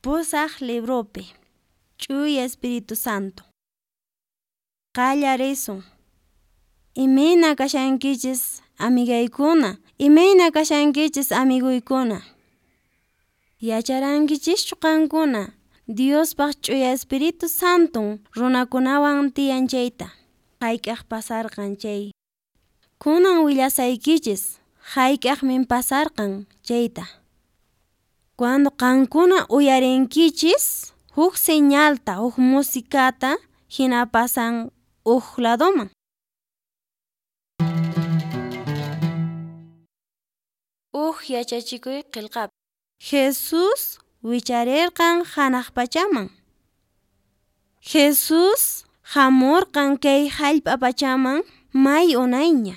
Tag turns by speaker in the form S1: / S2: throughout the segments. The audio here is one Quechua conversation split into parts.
S1: Pusaq libropi Ch'uya Espíritu Santo. Qallarisun. Imayna kashankichis amigaykuna, imayna kashankichis amigoykuna. Yacharankichischu qankuna Diospaq Ch'uya Espíritu Santon runakunawan tiyan chayta, hayk'aq pasarqan chay. Kunan willasaykichis hayk'aqmin pasarqan chayta. Cuando qankuna uyarinkichis huk señalta, huk musicata hina pasan huk ladoman. Huk yachachikuy qillqapi Jesús wicharirqan hanaq pachaman. Jesús hamurqan kay hallp'a pachaman may unayña.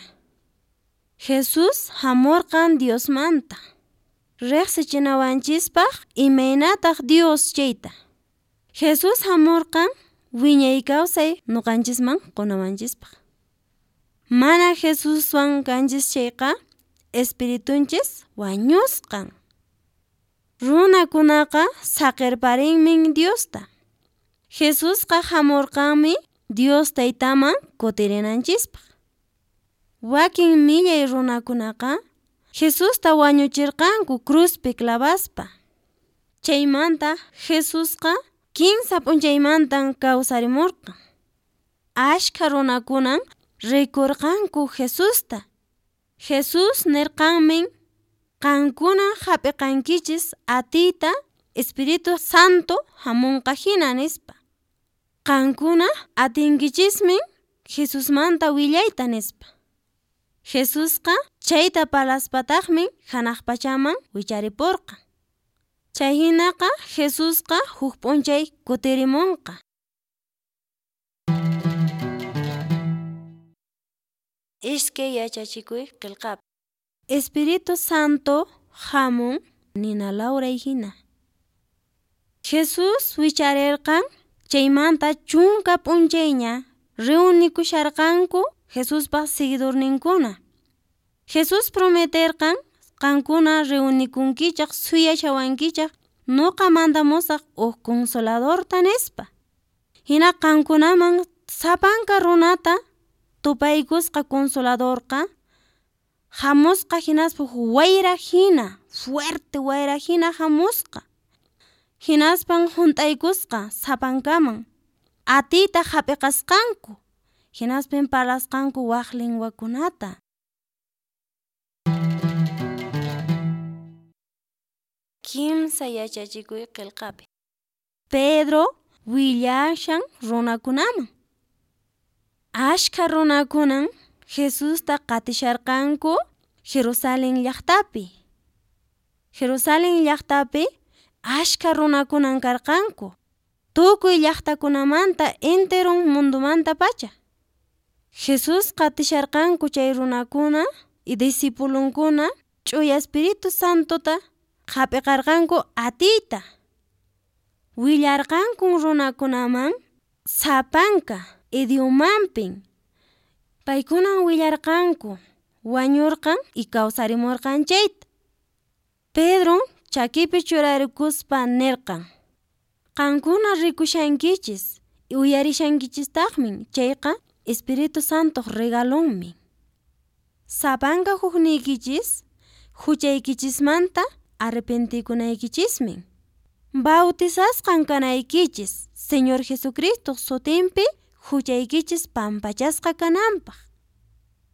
S1: Jesús hamurqan Diosmanta riqsichinawanchispaq imaynataq Dios chayta. Jesús hamurqan wiñay kawsay ñuqanchisman qunawanchispaq. Mana Jesuswan kanchis chayqa espiritunchis wañusqan. Runakunaqa saqirparinmin Diosta. Jesusqa hamurqanmi Dios taytaman kutirinanchispaq. Wakin millay runakunaqa Jesusta wañuchirqanku cruzpi clavaspa. Chaymanta Jesusqa kinsa p'unchaymantan kawsarimurqan. Ashkha runakunan rikurqanku Jesusta. Jesús nirqanmin qankuna hap'iqankichis atiyta Espíritu Santo hamunqa hina nispa. Qankuna atinkichismin Jesusmanta willayta nispa. Jesusqa chayta parlaspataqmi hanaq pachaman wicharipurqan. Chay hinaqa Jesusqa huk p'unchay kutirimunqa. Iskay yachachikuy qillqapi Espíritu Santo hamun nina lawray hina. Jesús wicharirqan chaymanta chunka p'unchayña reunikusharqanku Jesuspaq seguidorninkuna. Jesús prometerqan qankuna reunikunkichaq suyashawankichaq nuqa mandamusaq huk consoladorta nispa. Hina qankunaman sapanka runata tupaykusqa consoladorqa hamusqa hinaspa wayra hina, fuerte wayra hina hamusqa. Hinaspan hunt'aykusqa sapankaman atiyta hap'iqasqanku hinaspin parlasqanku wak lingwakunata. Kimsa yachachikuy qillqapi Pedro willashan runakunaman. Ashkha runakunan Jesusta qatisharqanku Jerusalén llaqtapi. Jerusalén llaqtapi ashkha runakunan karqanku tukuy llaqtakunamanta enteron mundomanta pacha. Jesús qatisharqanku chay runakuna y discipulonkuna Ch'uya Espíritu Santota hap'iqarqanku atiyta. Willarqankun runakunaman sapanka idiomanpin. Paykunan willarqanku wañurqan y kawsarimurqan chayta. Pedro chakipi churarikuspa nirqan: Qankuna rikushankichis uyarishankichistaqmi chayqa Espíritu Santoq regalonmi. Sapanka hukniykichis huchaykichismanta arrepentikunaykichismin. Bautizasqan kanaykichis Señor Jesucristoq sutinpi huchaykichis pampachasqa kananpaq.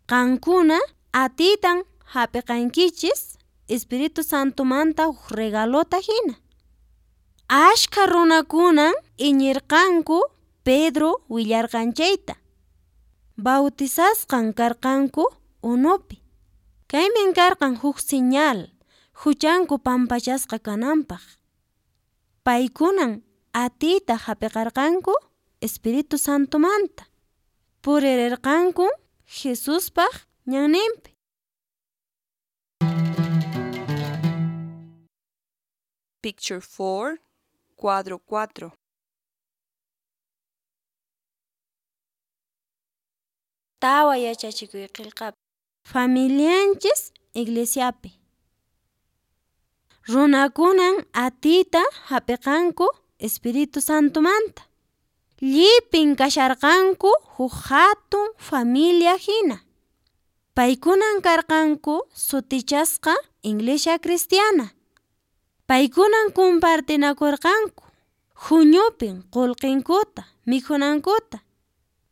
S1: Qankuna atiytan hap'iqankichis Espíritu Santomanta huk regalota hina. Ashkha runakunan iñirqanku Pedro willarqan chayta. Bautizasqan karqanku unupi. Kaymin karqan huk señal huchanku pampachasqa kananpaq. Paykunan atiyta hap'iqarqanku Espíritu Santomanta. Puririrqanku Jesuspaq ñanninpi.
S2: Picture 4, cuadro 4.
S1: Tawa yachachikuy qillqapi Familianchis iglesiapi. Runakunan atiyta hap'iqanku Espíritu Santomanta. Llipin kasharqanku huk hatun familia hina. Paykunan karqanku sutichasqa Iglesia Cristiana. Paykunan compartinakurqanku huñupin qolqenkuta, mikhunankuta.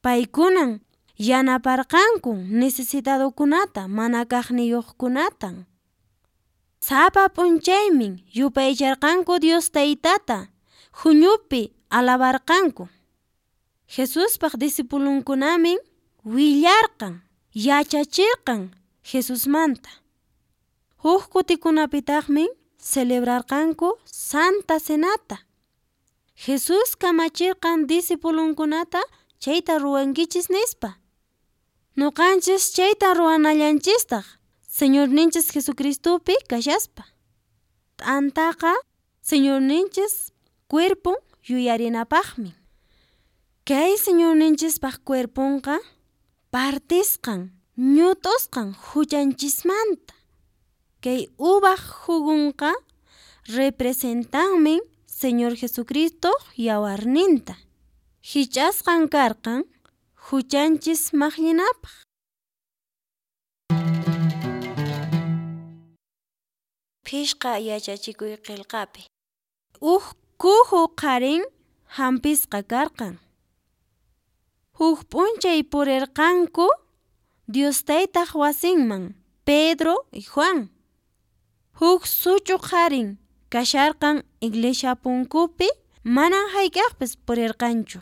S1: Paykunan yanaparqanku necesitadokunata, mana kaqniyuqkunatan. Sapa p'unchaymin yupaycharqanku Dios Taytata, huñupi alabarqanku. Jesuspaq discipulonkunamin willarqan, yachachirqan Jesusmanta. Huk kutikunapitaqmi celebrarqanku Santa Cenata. Jesús kamachirqan discipulonkunata chayta ruwankichis nispa. Noqanchis chayta ruwanallanchistaq Señorninchis Jesucristopi kashaspa. T'antaqa Señorninchis cuerpon yuyarinapaqmi. Kay Señorninchispaq cuerponqa partisqan, ñut'usqan huchanchismanta. Kay uvaq jugunqa representanmi Señor Jesucristo yawarninta. Hich'asqan karqan huchanchis maqllinapaq. Phishqa yachachikuy qillqapi. Huk kuju qharin hampisqa karqan. Huk p'unchay purirqanku Dios Taytaq wasinman Pedro y Juan. Huk such'u qharin kasharqan iglesia punkupi manan hayk'aqpis purirqanchu.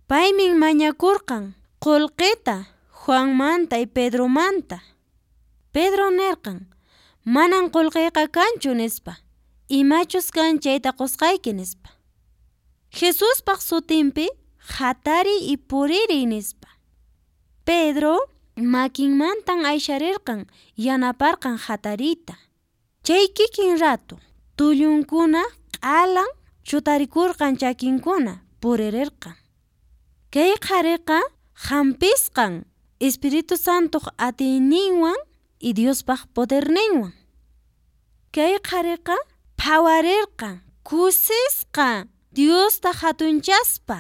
S1: Paymin mañakurqan qullqita Juanmanta y Pedromanta. Pedro nirqan manan qullqiyqa kanchu nispa, imachus kan chayta qusqayki nispa. Jesuspaq sutinpi hatariy y puririy nispa. Pedro makinmantan aysharirqan yanaparqan hatariyta. Chay kikin rato tullunkuna q'alan chutarikurqan chakinkuna puririrqan. Kay qhariqa hampisqan Espíritu Santoq atiyninwan y Diospaq poderninwan. Kay qhariqa phawarirqan kusisqa Diosta hatunchaspa.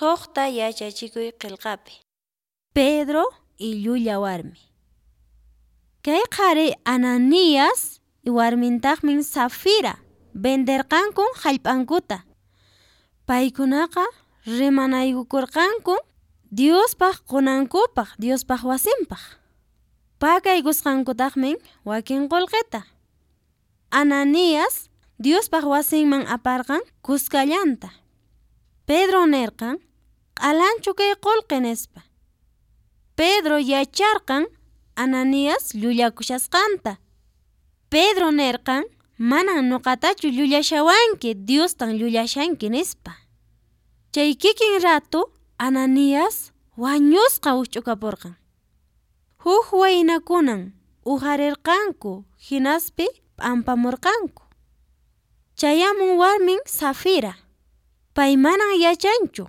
S1: Suqta yachachikuy qillqapi. Pedro y llulla warmi. Kay qhari Ananías warmintaqmi Safira venderqankun hallp'ankuta. Paykunaqa rimanaykukurqanku Diospaq qunankupaq, Diospaq wasinpaq. Pakaykusqankutaqmi wakin qullqita. Ananías Diospaq wasinman aparqan kuskallanta. Pedro nirqan, q'alanchu kay qullqi nispa. Pedro yacharqan Ananías llullakushasqanta. Pedro nirqan, manan nuqatachu llullashawanki, Diostan llullashanki nispa. Chay kikin rato Ananías wañusqa wikch'ukapurqan. Huk waynakunan uqarirqanku hinaspi p'ampamurqanku. Chayamun warmin Safira. Pay manan yachanchu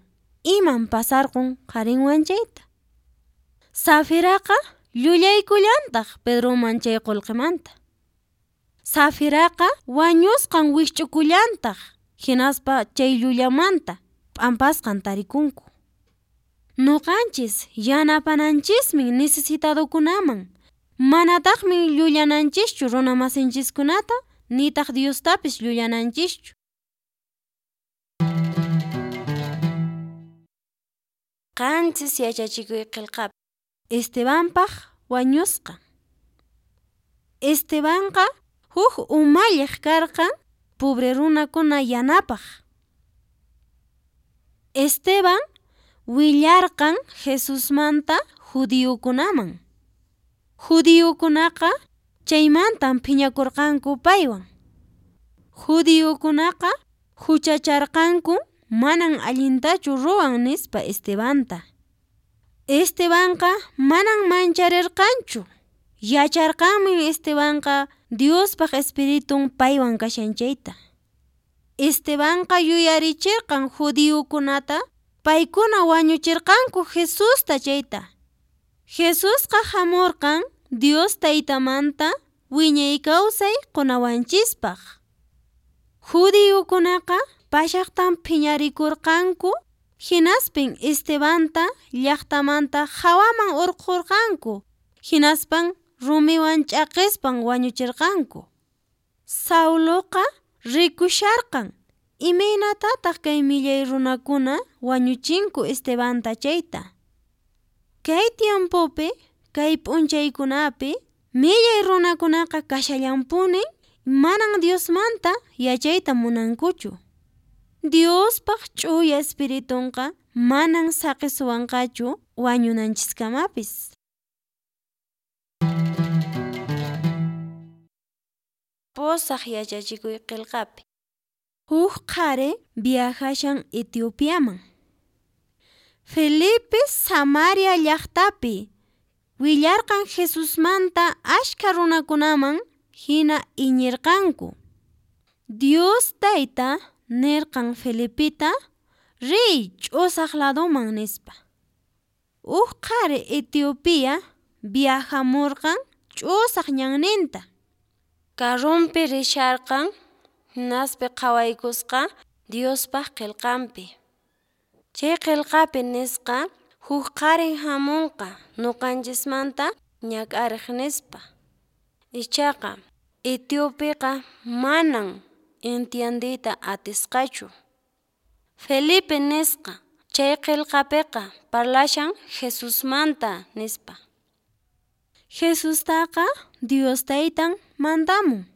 S1: iman pasarqun qharinwan chayta. Safiraqa llullaykullantaq Pedroman chay qullqimanta. Safiraqa wañusqan wikch'ukullantaq hinaspa chay llullamanta p'ampasqan tarikunku. Nuqanchis yanapananchismi necesitadokunaman, manataqmi llullananchischu runamasinchiskunata nitaq Diostapis llullananchischu. 7 yachachikuy qillqapi. Estebanpaq wañusqan. Estebanqa huk umalliq karqan pobre runakuna yanapaq. Esteban willarqan Jesusmanta judiokunaman. Judiokunaqa chaymantan phiñakurqanku paywan. Judiokunaqa huchacharqanku manan allintachu ruwan nispa Estebanta. Estebanqa manan mancharirqanchu. Yacharqanmi Estebanqa Diospaq espiritun paywan kashan chayta. Estebanqa yuyarichirqan judiokunata paykuna wañuchirqanku Jesusta chayta. Jesusqa hamurqan Dios Taytamanta wiñay kawsay qonawanchispaq. Judiokunaqa pashaqtan phiñarikurqanku hinaspin Estebanta llaqtamanta hawaman hurqurqanku hinaspan rumiwan ch'aqespan wañuchirqanku. Sauloqa rikusharqan imaynatataq kay millay runakuna wañuchinku Estebanta chayta. Kay tiempopi, kay p'unchaykunapi millay runakunaqa kashallanpuni manan Diosmanta yachayta munankuchu. Diospaq ch'uya espiritunqa manan saqisuwanqachu wañunanchiskamapis. 8 yachachikuy qillqapi. Huk qhari viajashan Etiopiaman. Felipe Samaria llaqtapi willarqan Jesusmanta askha runakunaman hina iñirqanku. Dios Tayta nirqan Felipeta riy ch'usaq ladoman nispa. Huk qhari Etiopía viajamurqan ch'usaq ñanninta. Carrompi risharqan hinaspa qhawaykusqa Diospaq qillqanpi. Chay qillqapi nisqa huk qharin hamunqa nuqanchismanta ñak'ariq nispa. Ichaqa Etiopiqa manan entiendeyta atisqachu. Felipe nisqa chay qillqapiqa parlashan Jesusmanta nispa. Jesustaqa Dios Taytan mandamun.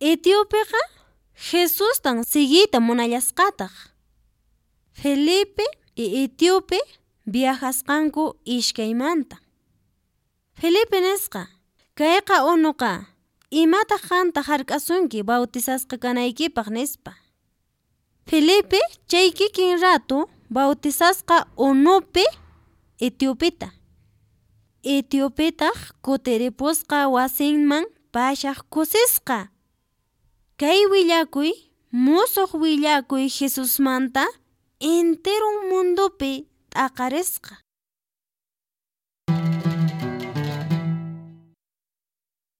S1: Etiopiqa Jesustan siguiyta munallasqataq. Felipe y Etiope viajasqanku iskaymanta. Felipe nisqa, kayqa unuqa, imataq qanta hark'asunki bautizasqa kanaykipaq nispa. Felipe chay kikin rato bautizasqa unupi Etiopeta. Etiopetaq kutiripusqa wasinman pashaq kusisqa. Kay willakuy musuq willakuy Jesusmanta enteron mundopi t'aqarisqa.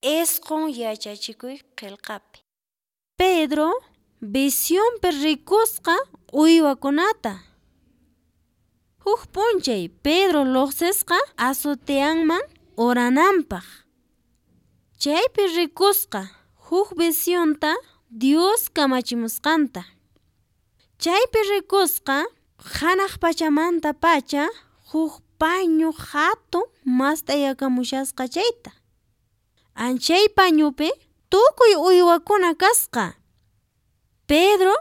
S1: 9 yachachikuy qillqapi. Pedro visionpi rikusqa uywakunata. Huk p'unchay Pedro lluqsisqa azoteanman orananpaq. Chaypi rikusqa huk visionta Dios kamachimusqanta. Chaypi rikusqa hanaq pachamanta pacha huk pañu hatun mast'ayakamushasqa chayta. Chay pañupi tukuy uywakuna kasqa. Pedro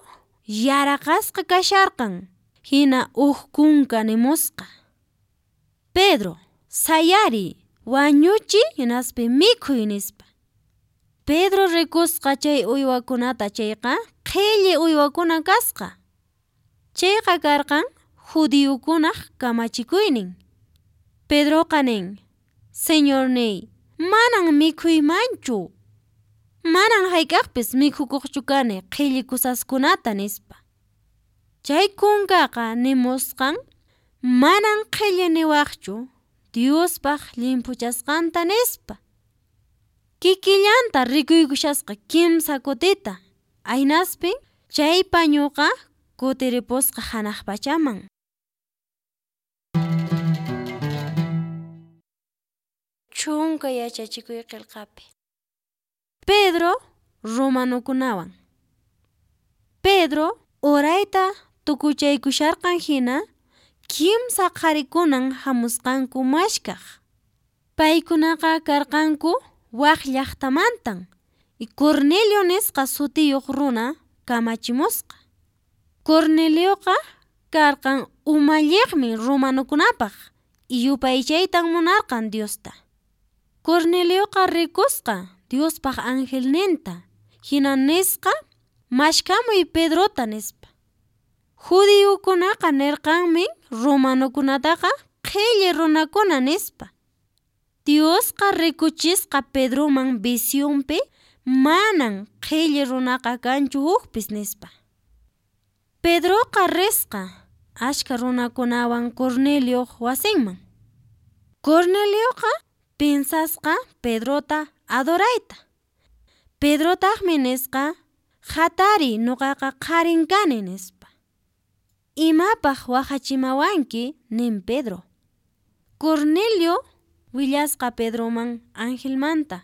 S1: yaraqasqa kasharqan, hina huk kunka nimusqa: Pedro, sayariy, wañuchiy hinaspa mikhuy, nispa. Pedro rikusqa chay uywakunata chayqa qhilli uywakuna kasqa. Chayqa karqan judiokunaq kamachikuynin. Pedroqa nin: Señorníy, manan mikhuymanchu. Manan hayk'aqpis mikhukuqchu kani qhilli cosaskunata, nispa. Chay kunkaqa nimusqan manan qhilli niwaqchu Diospaq llimphuchasqanta, nispa. Kikillanta rikuykushasqa kimsa kutita, aynaspi chay pañuqa kutiripusqa hanaq pachaman. Chunka yachachikuy qillqapi. Pedro romanokunawan. Pedro orayta tukuchaykusharqan hina kimsa qharikunan hamusqanku mashkaq. Paykunaqa karqanku wak llaqtamantan y Cornelio nisqa sutiyuq runa kamachimusqa. Cornelioqa karqan umalliqmi romanokunapaq y yupaychaytan munarqan Diosta. Cornelioqa rikusqa Diospaq angelninta, hina nisqa mashkamuy Pedrota, nispa. Judiokunaqa nirqanmi romanokunataqa qhilli runakuna, nispa. Diosqa rikuchisqa Pedroman visionpi manan qhilli runaqa kanchu hukpis, nispa. Pedroqa risqa ashka runakunawan Cornelioq wasinman. Cornelioqa piensasqa Pedrota adorayta. Pedrotaqmi nisqa hatariy, nuqaqa qharin kani, nispa. Imapaq wahachimawanki, nin Pedro. Cornelio willasqa Pedroman angelmanta.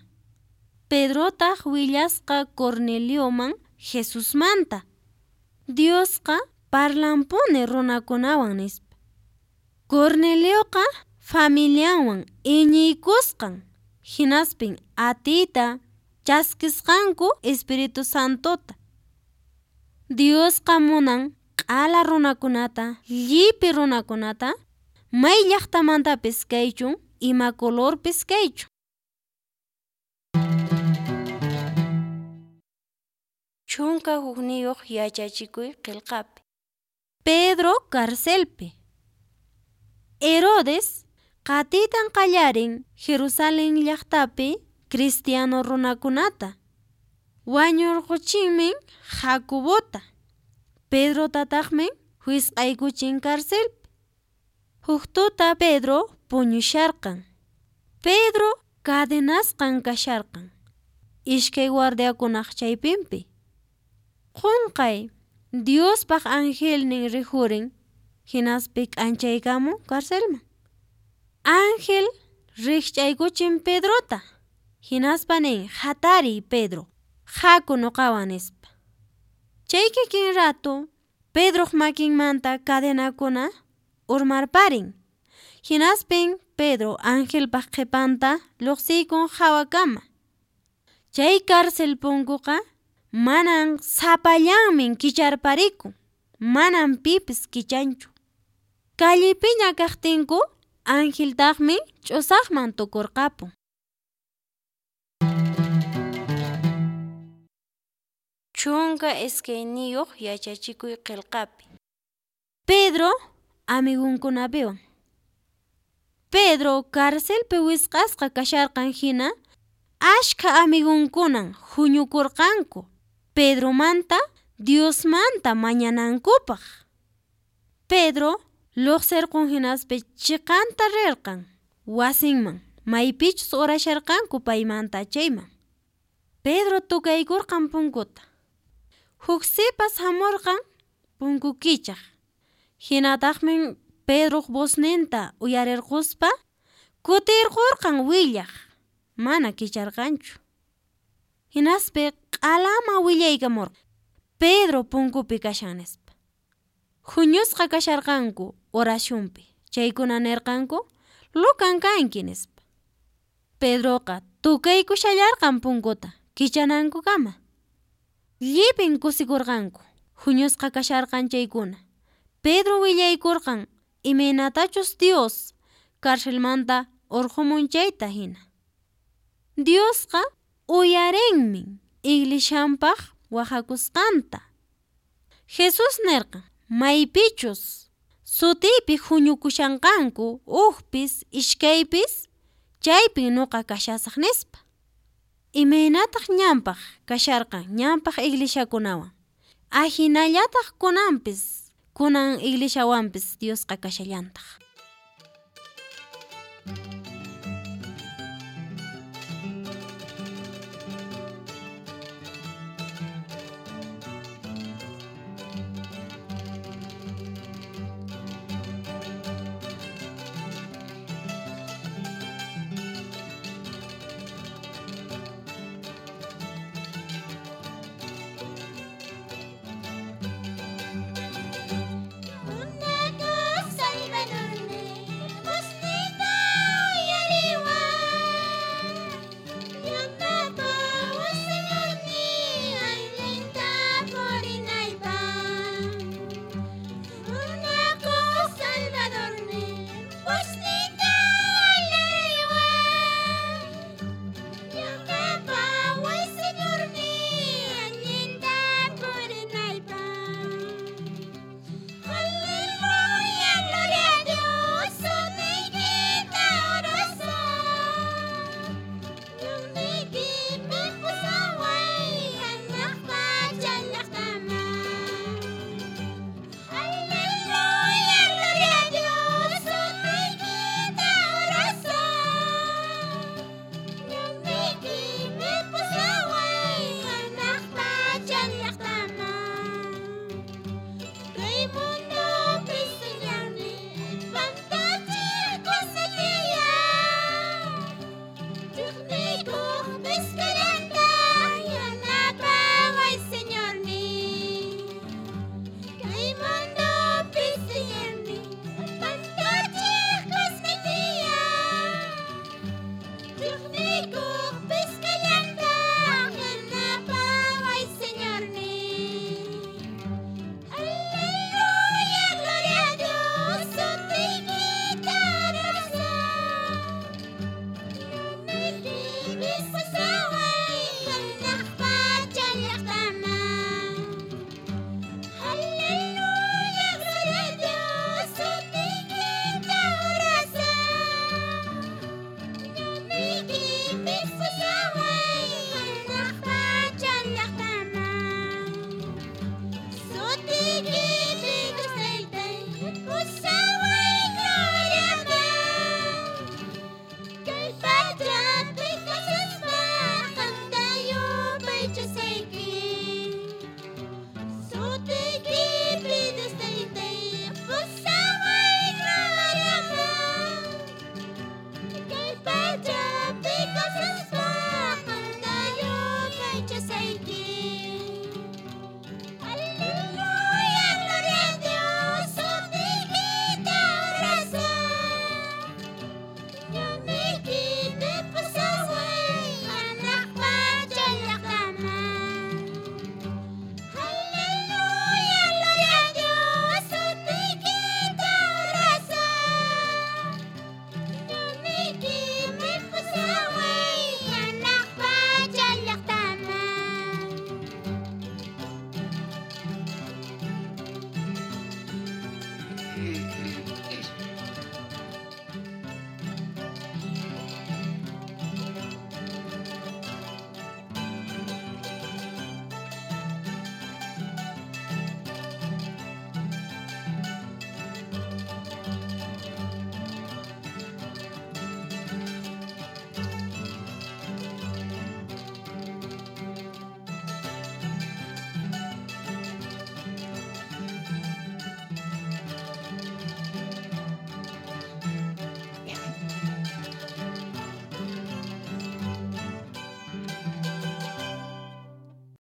S1: Pedrotaq willasqa Cornelioman Jesusmanta. Diosqa parlanpuni runakunawan, nispa. Cornelioqa familianwan iñiykusqan, hinaspin atiyta chaskisqanku Espíritu Santota. Diosqa munan q'ala runakunata, llipi runakunata, may llaqtamantapis kaychun, ima colorpis kaychun. 11 yachachikuy qillqapi. Pedro carcelpi. Herodes qatiytan qallarin Jerusalén llaqtapi cristiano runakunata. Wañurquchinmi Jacobota, Pedrotataqmi wisq'aykuchin carcelpi. Huk tuta Pedro puñusharqan. Pedro cadenasqan kasharqan iskay guardiakunaq chaypinpi. Qunqay Diospaq angelnin rikhurin, hinaspi k'anchaykamun carcelman. Ángel rikch'aykuchin Pedrota, hinaspa nin: hatariy Pedro, haku nuqawan, nispa. Chay kikin rato Pedroq makinmanta cadenakuna urmarparin. Hinaspin Pedro angelpaq qhipanta lluqsiykun hawakama. Chay cárcel punkuqa manan sapallanmin kicharparikun, manan pipis kichanchu. Callepiña kaqtinku angeltaqmi ch'usaqman tukurqapun. 12 yachachikuy qillqapi. Pedro amigunkunapiwan. Pedro carcelpi wisq'asqa kasharqan hina ashkha amigunkunan huñukurqanku Pedromanta Diosmanta mañanankupaq. Pedro lluqsirqun hinaspa chiqanta rirqan wasinman maypichus orasharqanku paymanta chayman. Pedro tukaykurqan punkuta. Huk sipas hamurqan punku kichaq. Hinataqmi Pedroq vozninta uyarirquspa kutirqurqan willaq, mana kicharqanchu. Hinaspi q'alama willaykamurqan, Pedro punkupi kashan nispa. Huñusqa kasharqanku oracionpi, chaykuna nirqanku, Lucan kanki nispa. Pedroqa tukaykushallarqan punkuta kichanankukama. Llipin kusikurqanku, huñusqa kasharqan chaykuna. Pedro willaykurqan imaynatachus Dios carcelmanta urqumun chayta hina. Diosqa uyarinmi iglesianpaq wahakusqanta. Jesús nirqan, maypichus sutiypi huñukushanqanku hukpis iskaypis, chaypin nuqa kashasaq nispa. Imaynataq ñanpaq kasharqan ñanpaq iglesiakunawan, ahinallataq kunanpis kunan iglesiawanpis Diosqa kashallantaq.